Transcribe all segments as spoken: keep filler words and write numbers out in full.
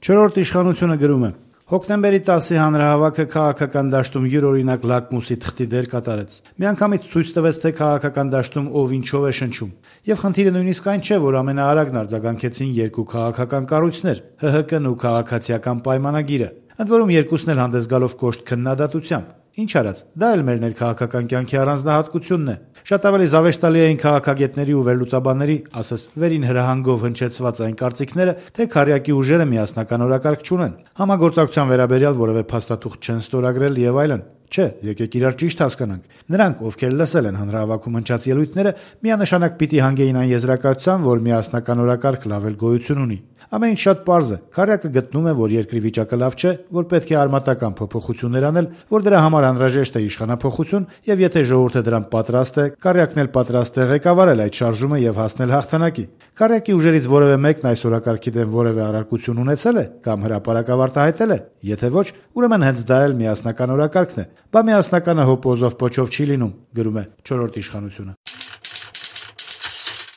Չորրորդ իշխանությունը գրում է. Հոկտեմբերի տասի հանրահավաքը քաղաքական դաշտում յուրօրինակ լակմուսի թղթի դեր կատարեց։ Միանգամից ցույց տվեց, թե քաղաքական դաշտում ով ինչով է շնչում։ Եվ խնդիրը նույնիսկ այն չէ, որ ամենաարագն արձագանքեցին երկու քաղաքական կառույցներ՝ Հ Հ Կն ու Քաղաքացիական պայմանագիրը։ Ընդ որում երկուսն էլ հանդես գալով կոշտ քննադատությամբ։ Ինչ արած, դա էլ մեր ներքաղաքական կյանքի առանձնահատկությունն է։ Շատ ավելի զավեշտալի էին քաղաքագետների ու վերլուծաբանների, ասես վերին հրահանգով հնչեցված այն կարծիքները, թե քարյակի ուժերը միասնական օրակարգ չունեն, համագործակցության վերաբերյալ որևէ փաստաթուղթ չեն ստորագրել եւ այլն։ Չէ, եկեք իրար ճիշտ հասկանանք։ Նրանք, ովքեր լսել են հանրահավաքում հնչած ելույթները, միանշանակ պիտի հանգեին այն եզրակացության, որ միասնական օրակարգ լավ էլ գոյություն ունի։ Ամեն ինչ շատ պարզ է։ Քարյակը գտնում է, որ երկրի վիճակը լավ չէ, որ պետք է արմատական փոփոխություններ անել, որ դրա համար անհրաժեշտ է իշխանափոխություն, եւ եթե ժողովուրդը դրան պատրաստ է, Քարյակն էլ պատրաստ է ղեկավարել այդ շարժումը եւ հասնել հաղթանակի։ Քարյակի ուժերից որևէ մեկն այս օրակարգի դեմ որևէ առարկություն ունեցել է կամ հրապարակավ արտահայտել է։ Եթե ոչ, ուրեմն հենց դա էլ միասնական օրակարգն է։ Բա միասնականը հոպոզով պոչով չի լինում, գրում է չորրորդ իշխանությունը։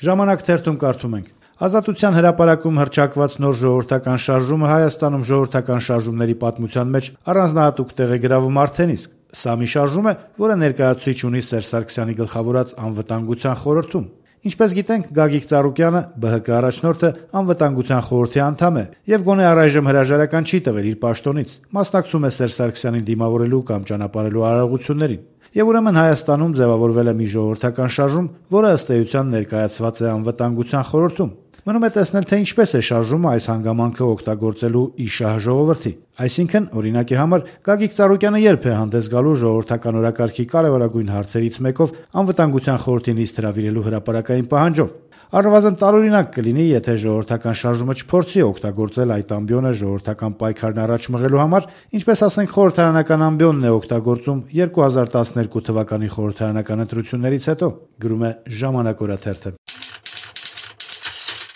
Ժամանակ թերթում կարդում ենք. Ազատության հրապարակում հռչակված նոր ժողովրդական շարժումը Հայաստանում ժողովրդական շարժումների պատմության մեջ առանձնահատուկ տեղ է գրավում արդեն իսկ։ Սա մի շարժում է, որը ներկայացուցիչ ունի Սերժ Սարգսյանի գլխավորած անվտանգության խորհրդում։ Ինչպես գիտենք, Գագիկ Ծառուկյանը, Բ Հ Կ առաջնորդը, անվտանգության խորհրդի անդամ է եւ գոնե առայժմ հրաժարական չի տվել իր պաշտոնից, մասնակցում է Սերժ Սարգսյանին դիմավորելու կամ ճանապարհելու արարողություններին։ Եվ ուրեմն Հայաստանում ձևավորվել է մի ժողովրդական շարժում, որը ըստ էության ներկայացված է անվտանգության խորհրդում։ Մնում է տեսնել, թե ինչպես է շարժումը այս հանգամանքը օգտագործելու ի շահ ժողովրդի։ Այսինքն, օրինակի համար, Գագիկ Ծառուկյանը երբ է հանդես գալու ժողովրդական օրակարգի կարևորագույն հարցերից մեկով անվտանգության խորհրդի նիստ հրավիրելու հրապարակային պահանջով։ Առնվազն տարօրինակ կլինի, եթե ժողովրդական շարժումը չփորձի օգտագործել այդ ամբիոնը ժողովրդական պայքարն առաջ մղելու համար, ինչպես ասենք խորհրդարանական ամբիոնն է օգտագործում երկու հազար տասներկու թվականի խորհրդարանական ընտրություններից հետո, գրում է Ժամանակ օրաթերթը։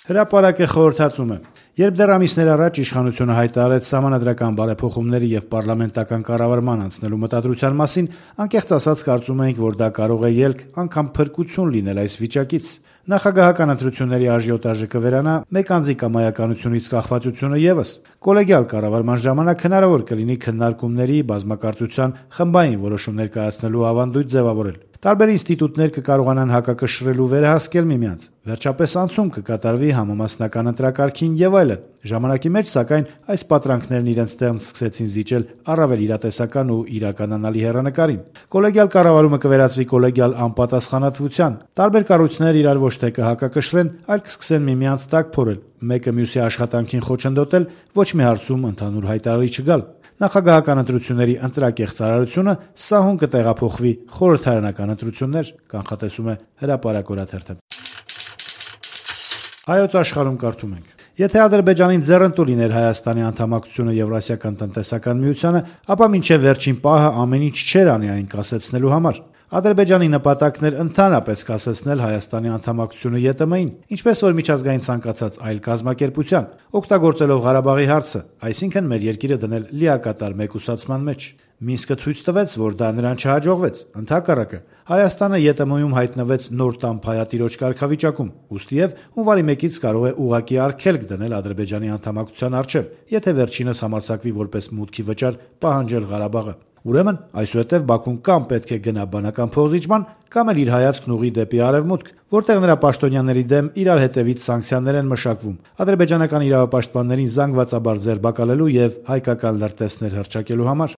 Հրապարակը խորհրդածում է. Երբ դեռ ամիսներ առաջ իշխանությունը հայտարարեց սահմանադրական բարեփոխումների եւ պարլամենտական կառավարման անցնելու մտադրության մասին, անկեղծ ասած կարծում էինք, որ դա կարող է ելք, անգամ փրկություն լինել այս վիճակից։ Նախագահական ընտրությունների աժիոտաժը կվերանա, մեկ անձի կամայականությունից կախվածությունը եւս։ Կոլեգիալ կառավարման ժամանակ հնարավոր կլինի քննարկումների, բազմակարծության, խմբային որոշումներ կայացնելու ավանդույթ ձևավորել։ Տարբեր ինստիտուտներ կկարողանան հակակշռել ու վերահասկել միմյանց։ Վերջապես անցում կկատարվի համամասնական ընտրակարգին եւ այլն։ Ժամանակի մեջ, սակայն, այս պատրանքներն իրենց տեղն սկսեցին զիջել առավել իրատեսական ու իրականանալի հեռանկարին։ Կոլեգիալ կառավարումը կվերածվի կոլեգիալ անպատասխանատվության։ Տարբեր կառույցներ իրար ոչ թե կհակակշռեն, այլ կսկսեն միմյանց տակ փորել, մեկը մյուսի աշխատանքին խոչընդոտել, ոչ մի հարցում ընդհանուր հայտարարի չգալ։ Նախագահական ընտրությունների ընտրակեղ ծառայությունը սահուն կտեղափոխվի խորհրդարանական ընտրություններ, կանխատեսում է Հրապարակ օրաթերթը։ Հայոց աշխարհում կարդում ենք. Եթե Ադրբեջանին ձեռնտու լիներ Հայաստանի անդամակցությունը Եվրասիական տնտեսական միությանը, ապա մինչև վերջին պահը ամեն ինչ չէր անի այն կասեցնելու համար։ Ադրբեջանի նպատակն էր ընդհանրապես կասեցնել Հայաստանի անդամակցությունը Ե Տ Մ-ին, ինչպես որ միջազգային ցանկացած այլ կազմակերպության, օգտագործելով Ղարաբաղի հարցը, այսինքն մեր երկիրը դնել լիակատար մեկուսացման մեջ։ Մինսկը ցույց տվեց, որ դա նրան չհաջողվեց։ Ընդհակառակը, Հայաստանը Ե Տ Մ-ում հայտնվեց նոր տամփայատիրոջ կարգավիճակում, ուստիև հունվարի մեկից կարող է ուղղակի արգելք դնել Ադրբեջանի անդամակցության առջև, եթե վերջինս համարձակվի որպես մուտքի վճար պահանջել Ղարաբաղը։ Ուրեմն, այսուհետև Բաքուն կամ պետք է գնա բանական փոխզիջման, կամ էլ իր հայացքն ուղղի դեպի արևմուտք, որտեղ նրա պաշտոնյաների դեմ իրար հետևից սանկցիաներ են մշակվում, ադրբեջանական իրավապաշտպաններին զանգվածաբար ձերբակալելու եւ հայկական լրտեսներ հռչակելու համար։